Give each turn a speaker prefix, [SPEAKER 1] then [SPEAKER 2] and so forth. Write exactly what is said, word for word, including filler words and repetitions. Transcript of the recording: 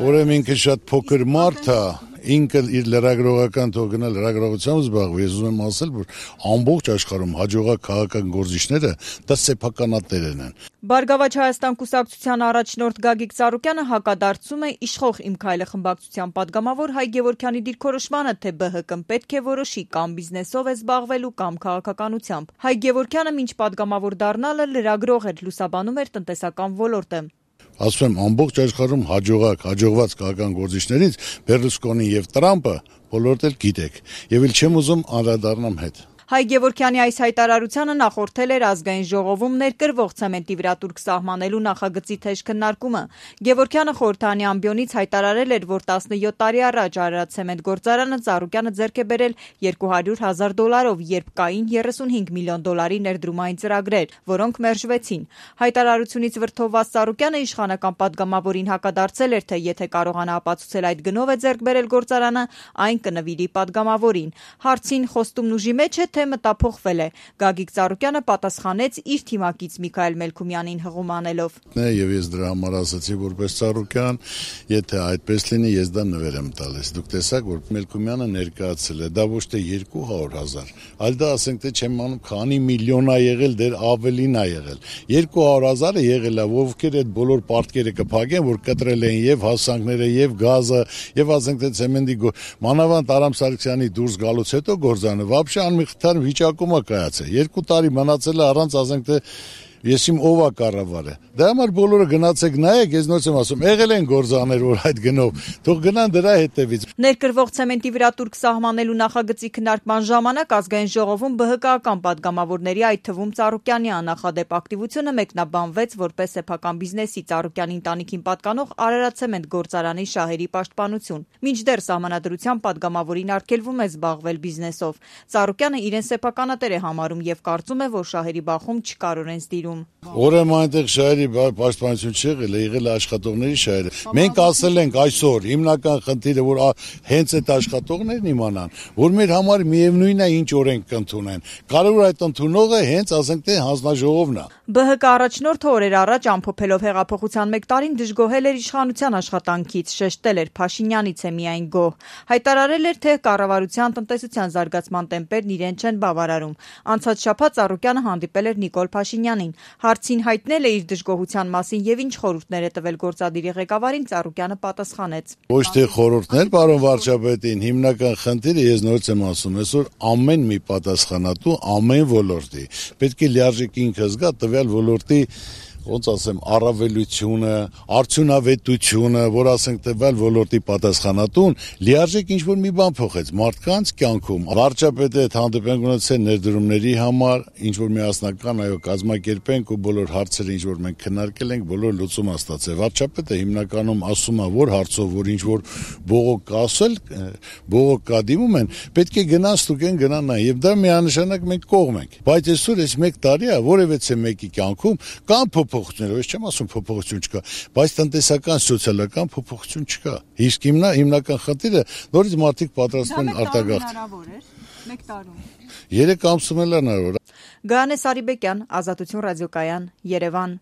[SPEAKER 1] Ուրեմն ինքը շատ փոքր մարդ է, ինքը իր լրագրողական թող գնա լրագրողությամբ զբաղվի, ես ուզում եմ ասել, որ ամբողջ աշխարհում հաջողակ քաղաքական գործիչները դա սեփականատերն են։
[SPEAKER 2] Բարգավաճ Հայաստան կուսակցության առաջնորդ Գագիկ Ծառուկյանը հակադարձում է իշխող «Իմ քայլը» խմբակցության падգամավոր Հայ Գևորգյանի դիրքորոշմանը, թե ԲՀԿ-ն պետք է որոշի կամ բիզնեսով է զբաղվելու, կամ քաղաքականությամբ։ Հայ Գևորգյանը մինչ падգամավոր դառնալը լրագրող էր, լուսաբանում էր տնտեսական ոլորտը։
[SPEAKER 1] Ասում եմ, ամբողջ աշխարհում հաջողակ, հաջողված քաղաքական գործիչներից Բերլուսկոնին եւ Տրամպը բոլորդ էլ գիտեք, եւ էլ չեմ ուզում անդրադառնամ հետ։
[SPEAKER 2] Հայ Գևորգյանի այս հայտարարությանը նախորդել էր ազգային ժողովում ներկրվող ցեմենտի վրա տուրք սահմանելու նախագծի թեժ քննարկումը։ Գևորգյանը խորհրդանի ամբիոնից հայտարարել էր, որ տասնյոթ տարի առաջ Արարատցեմենտ գործարանը Ծառուկյանը ձեռք է բերել երկու հարյուր հազար դոլարով, երբ կային երեսունհինգ միլիոն դոլարի ներդրումային ծրագրեր, որոնք մերժվեցին։ Հայտարարությունից վրդովված Ծառուկյանը իշխանական падգամավորին հակադարձել էր, թե եթե կարողանա ապացուցել այդ գնով է ձեռք բերել գործարանը, այն կնվիրի падգամավորին։ Հարցին խոստումն ուժի մեջ է, թե մտափոխվել է։ Գագիկ Ծառուկյանը պատասխանեց իր թիմակից Միքայել Մելքումյանին հղում անելով։
[SPEAKER 1] Եվ ես դրա համար ասացի որպես Ծառուկյան, եթե այդպես լինի, ես դա նվեր եմ տալիս։ Դուք տեսաք, որ Մելքումյանը ներկայացել է, դա ոչ թե երկու հարյուր հազար, այլ դա ասենք թե չեմ անում, քանի միլիոն ա եղել, դեր ավելին ա եղել։ երկու հարյուր հազարը եղել է, ովքեր այդ բոլոր պարտքերը կփակեն, որ կտրել են եւ հասանքները, եւ գազը, եւ ասենք թե ցեմենտի մանավանդ Արամ Սարգսյանի դուրս գալուց հետո գործանը вообще անմիղթար վիճակում է կայացել։ Երկու տարի մնացել է առանց ասենք թե ես իմ ով է կառավարը։ Դա համար բոլորը գնացեք նայեք, ես նորից եմ ասում, եղել են գործաներ, որ այդ գնով, թող գնան դրա հետևից։
[SPEAKER 2] Ներկրվող ցեմենտի վրա տուրք սահմանելու նախագծի քննարկման ժամանակ ազգային ժողովում ԲՀԿ-ական падգամավորների, այդ թվում Ծառուկյանի աննախադեպ ակտիվությունը մեկնաբանվեց որպես սեփական բիզնեսի Ծառուկյանի ընտանիքին պատկանող Արարատցեմենտ գործարանի շահերի պաշտպանություն։ Մինչդեռ սահմանադրության падգամավորին արգելվում է զբաղվել բիզնեսով։ Ծառուկյանը իրեն սեփականատեր է համարում եւ կարծում է, որ շահերի բախում չկարորեն ստիրում։
[SPEAKER 1] Ուրեմն այնտեղ շահերի պաշտպանություն չեղել է, եղել է աշխատողների շահերը։ Մենք ասել ենք այսօր հիմնական խնդիրը, որ հենց այդ աշխատողներն իմանան, որ մեր համար միևնույն է ինչ օրենք կընդունեն։ Կարևոր այդ ընդունողը հենց ասենք թե հանձնաժողովն է։
[SPEAKER 2] ԲՀԿ առաջնորդը օրեր առաջ ամփոփելով հեղափոխության մեկ տարին դժգոհել էր իշխանության աշխատանքից, շեշտել էր Փաշինյանից է միայն գոհ։ Հայտարարել էր, թե կառավարության տնտեսության զարգացման տեմպերն իրեն չեն բավարարում։ Անցած շաբաթ Ծառուկյանը հանդիպել էր Նիկոլ Փաշինյանին։ Հարցին հայտնել է իր դժգոհության մասին եւ ինչ խորհուրդներ է տվել գործադիրի ղեկավարին, Ծառուկյանը պատասխանեց։
[SPEAKER 1] Ոչ թե խորհուրդներ, պարոն վարչապետին, հիմնական խնդիրը ես նորից եմ ասում, այսօր ամեն մի պատասխանատու ամեն ոլորտի պետք է լիարժեք ինքը զգա տվյալ ոլորտի ոնց ասեմ, առավելությունը, արդյունավետությունը, որ ասենք տվյալ ոլորտի պատասխանատուն լիարժեք ինչ-որ մի բան փոխեց մարդկանց կյանքում։ Վարչապետը այդ հանդիպենք ունեցել ներդրումների համար, ինչ-որ միասնական այո կազմակերպենք ու բոլոր հարցերը ինչ-որ մենք քննարկել ենք, բոլոր լուծում ա ստացել։ Վարչապետը հիմնականում ասում է, որ հարցով, որ ինչ-որ բողոք կա ասել, բողոք կա դիմում են, պետք է գնան ստուգեն գնան նա եւ դա միանշանակ մենք կողմ ենք։ Բայց այսօր այս մեկ տարի է, որևէ մեկի կյանքում կան փոփոխություններ, ես չեմ ասում փոփոխություն չկա, բայց տնտեսական, սոցիալական փոփոխություն չկա։ Իսկ հիմնա հիմնական խնդիրը նորից մարդիկ պատրաստվում են արտագաղթ։
[SPEAKER 2] Մեկ տարում։
[SPEAKER 1] Երեք ամսում էլ հնարավոր է։
[SPEAKER 2] Գայանե Սարիբեկյան, Ազատություն ռադիոկայան, Երևան։